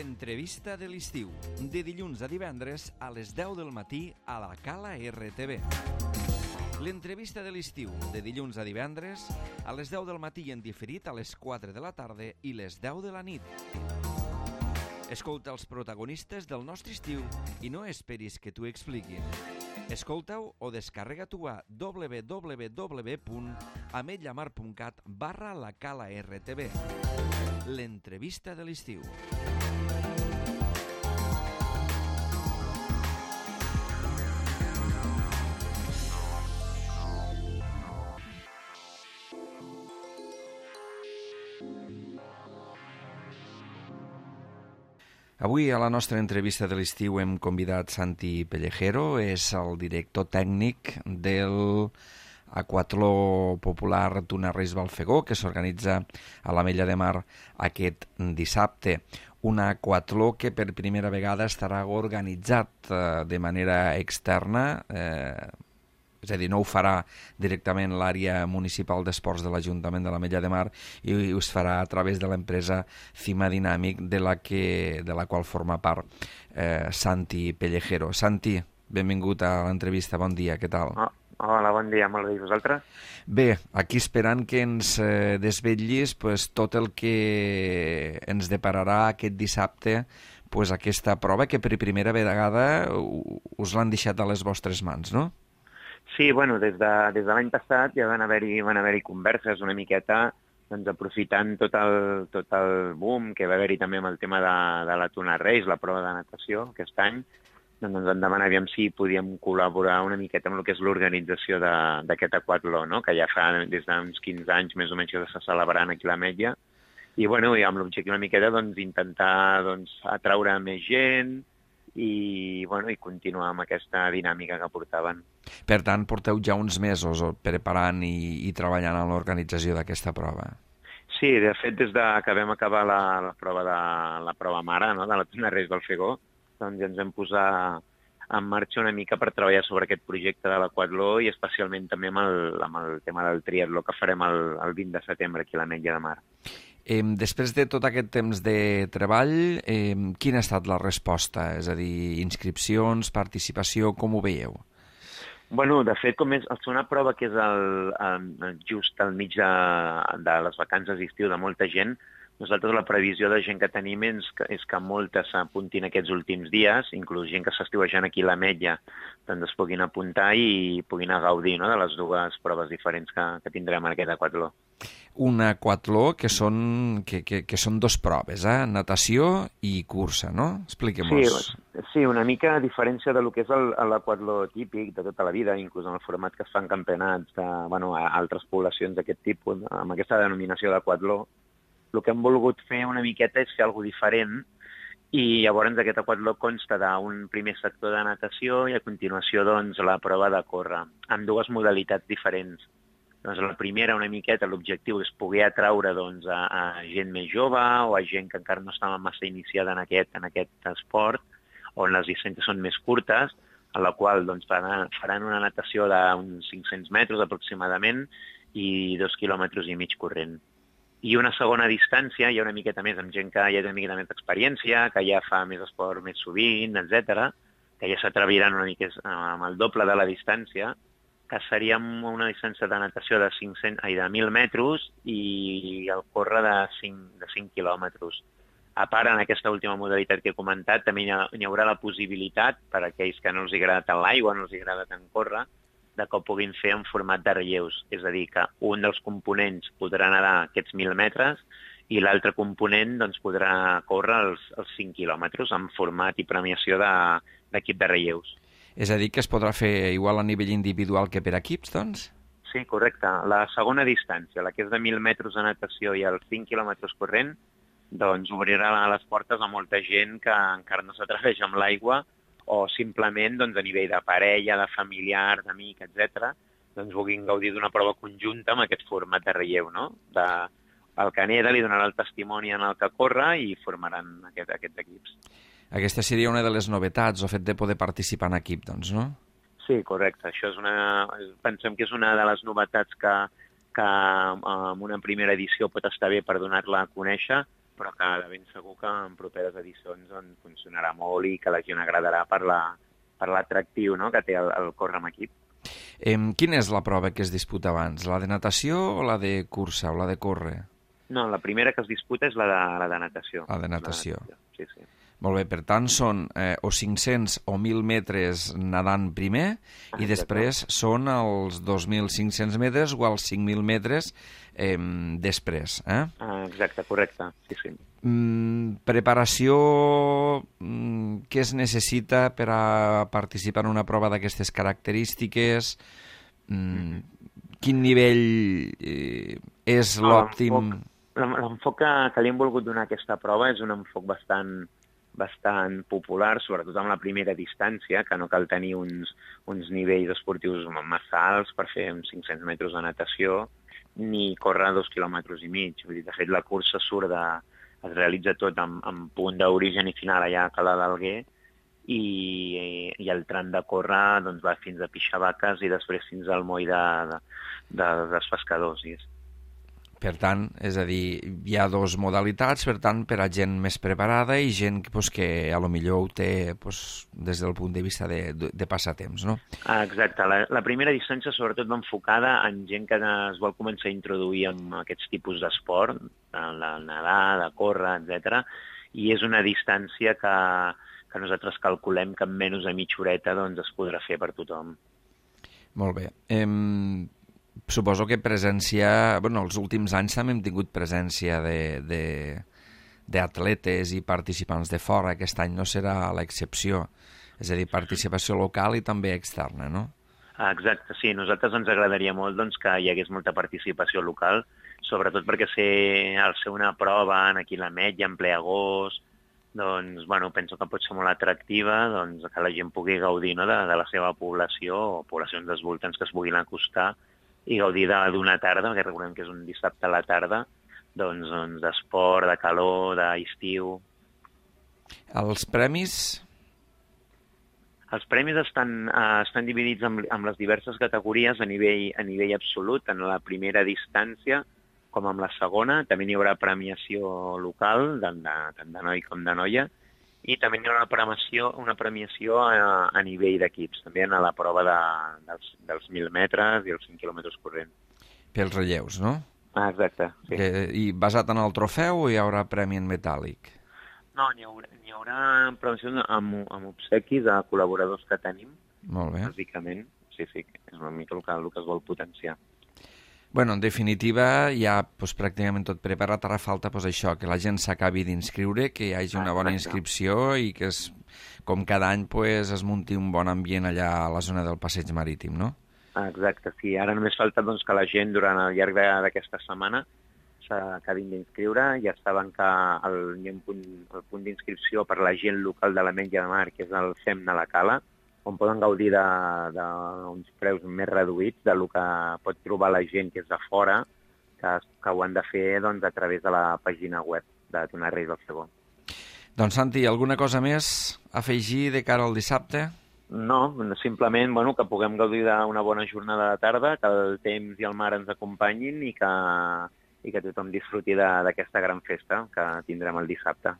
L'entrevista de l'estiu, de dilluns a divendres a les 10 del matí a la Cala RTV. L'entrevista de l'estiu, de dilluns a divendres a les 10 del matí i en diferit a les 4 de la tarda i les 10 de la nit. Escolta els protagonistes del nostre estiu i no esperis que t'ho expliquin. Escolta-ho o descarrega-t'ho a www.ametlllamar.cat/la-cala-rtb. L'entrevista de l'estiu. Avui a la nostra entrevista de l'estiu hem convidat Santi Pellejero, és el director tècnic del aquatló popular Tuna Reis Balfegó, que s'organitza a l'Ametlla de Mar aquest dissabte. Un aquatló que per primera vegada estarà organitzat de manera externa, és a dir, no ho farà directament l'àrea municipal d'esports de l'Ajuntament de l'Ametlla de Mar i es farà a través de l'empresa Cima Dinàmic, de la qual forma part Santi Pellejero. Santi, benvingut a l'entrevista, bon dia, què tal? Hola, bon dia, molt bé, i vosaltres? Bé, aquí esperant que ens desvetllis tot el que ens depararà aquest dissabte, aquesta prova que per primera vegada us l'han deixat a les vostres mans, no? Sí, bueno, des de l'any passat ja van haver-hi converses una miqueta, doncs aprofitant tot el boom que va haver-hi també amb el tema de la Tuna Reis, la prova de natació aquest any, doncs ens demanaríem si podíem col·laborar una miqueta amb el que és l'organització d'aquest aquatló, no? Que ja fa des d'uns 15 anys més o menys que s'està celebrant aquí a l'Ametlla, i bueno, amb l'objectiu una miqueta intentar atraure més gent, i continuar amb aquesta dinàmica que portaven. Per tant, porteu ja uns mesos preparant i treballant en l'organització d'aquesta prova. Sí, de fet, des que vam acabar la prova mare, no?, de la Tuna Reis Balfegó, doncs ja ens vam posar en marxa una mica per treballar sobre aquest projecte de l'aquatló i especialment també amb el tema del triatló que farem el 20 de setembre aquí a l'Ametlla de Mar. Després de tot aquest temps de treball, quina ha estat la resposta? És a dir, inscripcions, participació, com ho veieu? Bueno, de fet, com és una prova que és just al mig de les vacances d'estiu de molta gent, nosaltres la previsió de gent que tenim és que moltes s'apuntin aquests últims dies, inclús gent que s'estiuejant aquí a l'Ametlla, doncs es puguin apuntar i puguin gaudir, no?, de les dues proves diferents que tindrem en aquest aquatló. Un aquatló que són dos proves, natació i cursa, no? Expliquem-nos. Sí, una mica a diferència del que és l'aquatló típic de tota la vida, inclús en el format que es fan campionats a altres poblacions d'aquest tipus, amb aquesta denominació d'aquatló. El que hem volgut fer una miqueta és fer alguna cosa diferent i llavors aquest aquatló consta d'un primer sector de natació i a continuació la prova de córrer, amb dues modalitats diferents. La primera, una miqueta, l'objectiu és poder atraure a gent més jove o a gent que encara no estava massa iniciada en aquest esport, on les distàncies són més curtes, en la qual faran una natació d'uns 500 metres aproximadament i 2,5 quilòmetres corrent. I una segona distància, ja una miqueta més amb gent que ja té una miqueta més d'experiència, que ja fa més esport més sovint, etc., que ja s'atreviran una mica amb el doble de la distància, que seria una distància de natació de 1.000 metres i el córrer de 5 quilòmetres. A part, en aquesta última modalitat que he comentat, també hi haurà la possibilitat, per a aquells que no els agrada tant l'aigua, no els agrada tant córrer, de que ho puguin fer en format de relleus. És a dir, que un dels components podrà nedar aquests 1.000 metres i l'altre component podrà córrer els 5 quilòmetres en format i premiació d'equip de relleus. És a dir, que es podrà fer igual a nivell individual que per equips, doncs? Sí, correcte. La segona distància, la que és de 1.000 metres de natació i els 5 quilòmetres corrent, obrirà les portes a molta gent que encara no s'atreveix amb l'aigua o simplement a nivell de parella, de familiar, d'amic, etc., vulguin gaudir d'una prova conjunta amb aquest format de relleu, no? El que neda li donarà el testimoni en el que corre i formaran aquests equips. Aquesta seria una de les novetats, el fet de poder participar en equip, doncs, no? Sí, correcte. Això pensem que és una de les novetats que en una primera edició pot estar bé per donar-la a conèixer, però que de ben segur que en properes edicions funcionarà molt i que la gent agradarà per l'atractiu, no?, que té el córrer amb equip. Quina és la prova que es disputa abans? La de natació o la de cursa o la de córrer? No, la primera que es disputa és la de natació. La de natació. Sí, sí. Molt bé, per tant, són o 500 o 1.000 metres nadant primer i després són els 2.500 metres o els 5.000 metres després. Exacte, correcte, sí, sí. Preparació, què es necessita per a participar en una prova d'aquestes característiques? Quin nivell és l'òptim? L'enfoc que li hem volgut donar a aquesta prova és un enfoc bastant popular, sobretot amb la primera distància, que no cal tenir uns nivells esportius massa alts per fer uns 500 metres de natació, ni córrer 2,5 quilòmetres. Vull dir, de fet, la cursa es realitza tot en punt d'origen i final allà a Cala d'Alguer, i el tram de córrer doncs, va fins a Pixavaques i després fins al moll dels pescadors. Per tant, és a dir, hi ha dues modalitats, per tant, per a gent més preparada i gent que a lo millor ho té des del punt de vista de passatemps, no? Exacte. La primera distància sobretot va enfocada en gent que es vol començar a introduir en aquests tipus d'esport, de nedar, de córrer, etc. I és una distància que nosaltres calculem que en menys de mitja horeta doncs, es podrà fer per tothom. Molt bé. Suposo que presència... els últims anys també hem tingut presència d'atletes i participants de fora. Aquest any no serà l'excepció. És a dir, participació local i també externa, no? Exacte, sí. A nosaltres ens agradaria molt doncs, que hi hagués molta participació local, sobretot perquè al ser una prova aquí a l'Ametlla, en ple agost, doncs, penso que pot ser molt atractiva, doncs, que la gent pugui gaudir, no?, de la seva població o poblacions dels voltants que es puguin acostar i gaudir d'una tarda, perquè recordem que és un dissabte a la tarda, doncs d'esport, de calor, d'estiu. Els premis? Els premis estan dividits en les diverses categories a nivell absolut, en la primera distància com en la segona. També n'hi haurà premiació local, tant de noi com de noia, i també hi ha una premiació a nivell d'equips, també en la prova dels 1.000 metres i els 5 quilòmetres corrents. Pels relleus, no? Exacte, sí. I basat en el trofeu o hi haurà premi en metàl·lic? No, n'hi haurà premiacions amb obsequis a col·laboradors que tenim. Molt bé. Bàsicament, sí, és una mica el que es vol potenciar. En definitiva, ja pràcticament tot preparat. Ara falta això, que la gent s'acabi d'inscriure, que hi hagi una bona inscripció i que, com cada any, es munti un bon ambient allà a la zona del passeig marítim, no? Exacte, sí. Ara només falta que la gent, durant el llarg d'aquesta setmana, s'acabin d'inscriure. Ja saben que hi ha el punt d'inscripció per la gent local de l'Ametlla de Mar, que és el FEM de la Cala, on poden gaudir d'uns preus més reduïts del que pot trobar la gent que és de fora, que ho han de fer a través de la pàgina web de Tuna Reis del Segó. Doncs, Santi, alguna cosa més a afegir de cara al dissabte? No, simplement que puguem gaudir d'una bona jornada de tarda, que el temps i el mar ens acompanyin i que tothom disfruti d'aquesta gran festa que tindrem el dissabte.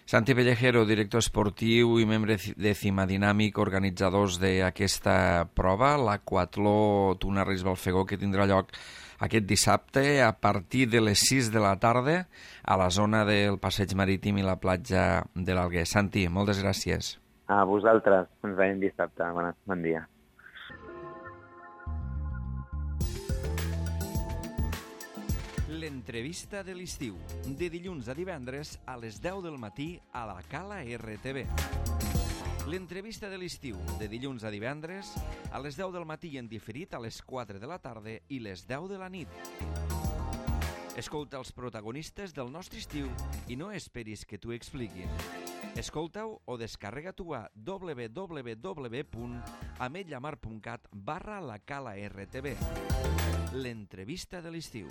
Santi Pellejero, director esportiu i membre de Cimadinàmic, organitzadors d'aquesta prova, l'Aquatló Tuna Reis Balfegó, que tindrà lloc aquest dissabte a partir de les 6 de la tarda a la zona del passeig marítim i la platja de l'Alguer. Santi, moltes gràcies. A vosaltres, ens veiem dissabte. Bon dia. L'entrevista de l'estiu, de dilluns a divendres a les 10 del matí a la Cala RTV. L'entrevista de l'estiu, de dilluns a divendres a les 10 del matí i en diferit a les 4 de la tarda i les 10 de la nit. Escolta els protagonistes del nostre estiu i no esperis que t'ho expliquin. Escolta-ho o descarrega-t'ho a www.ametllamar.cat/la Cala RTV. L'entrevista de l'estiu.